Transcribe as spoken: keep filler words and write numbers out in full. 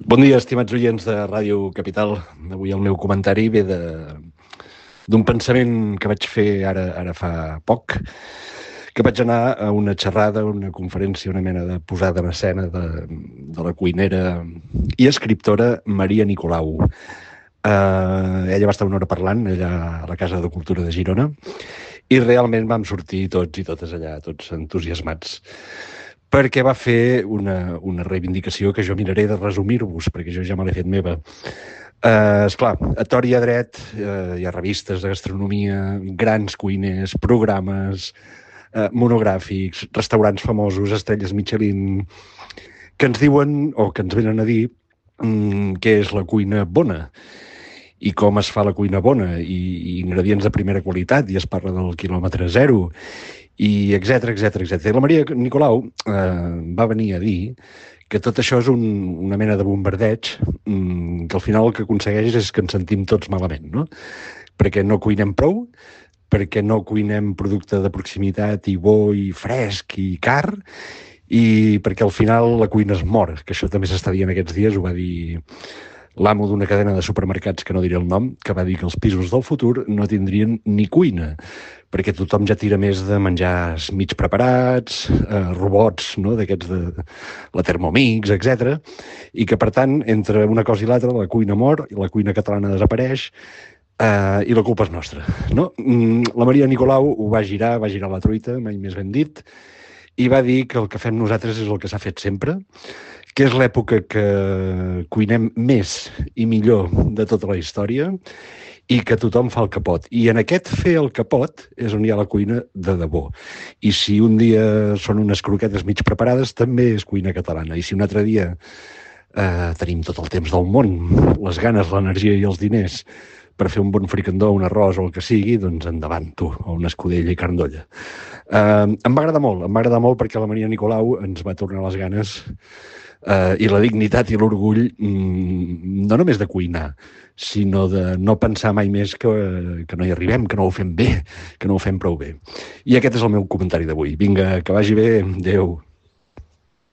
Bon dia, estimats oients de Ràdio Capital. Avui el meu comentari ve de d'un pensament que vaig fer ara ara fa poc, que vaig anar a una xerrada, una conferència, una mena de posada en escena de, de la cuinera i escriptora Maria Nicolau. Uh, ella va estar una hora parlant allà a la Casa de Cultura de Girona i realment vam sortir tots i totes allà, tots entusiasmats, perquè va fer una, una reivindicació que jo miraré de resumir-vos, perquè jo ja me l'he fet meva. Uh, esclar, a tor i a dret uh, hi ha revistes de gastronomia, grans cuiners, programes, uh, monogràfics, restaurants famosos, estrelles Michelin, que ens diuen, o que ens venen a dir, um, què és la cuina bona i com es fa la cuina bona, i, i ingredients de primera qualitat, i es parla del quilòmetre zero, i etc etc etc. I la Maria Nicolau eh, va venir a dir que tot això és un, una mena de bombardeig, mmm, que al final el que aconsegueix és que ens sentim tots malament, no? Perquè no cuinem prou, perquè no cuinem producte de proximitat i bo i fresc i car, i perquè al final la cuina es mor, que això també s'està dient aquests dies, ho va dir l'amo d'una cadena de supermercats, que no diré el nom, que va dir que els pisos del futur no tindrien ni cuina, perquè tothom ja tira més de menjars mig preparats, eh, robots, no?, d'aquests de la Thermomix, etcètera, i que, per tant, entre una cosa i l'altra, la cuina mor, i la cuina catalana desapareix, eh, i la culpa és nostra, no? La Maria Nicolau ho va girar, va girar la truita, mai més ben dit, i va dir que el que fem nosaltres és el que s'ha fet sempre, que és l'època que cuinem més i millor de tota la història i que tothom fa el capot. I en aquest fer el capot és on hi ha la cuina de debò. I si un dia són unes croquetes mig preparades, també és cuina catalana. I si un altre dia eh, tenim tot el temps del món, les ganes, l'energia i els diners per fer un bon fricandó, un arròs o el que sigui, doncs endavant, tu, o una escudella i carn d'olla. Eh, em va agradar molt, em va agradar molt perquè la Maria Nicolau ens va tornar les ganes Uh, i la dignitat i l'orgull mm, no només de cuinar, sinó de no pensar mai més que, que no hi arribem, que no ho fem bé, que no ho fem prou bé. I aquest és el meu comentari d'avui. Vinga, que vagi bé. Adéu.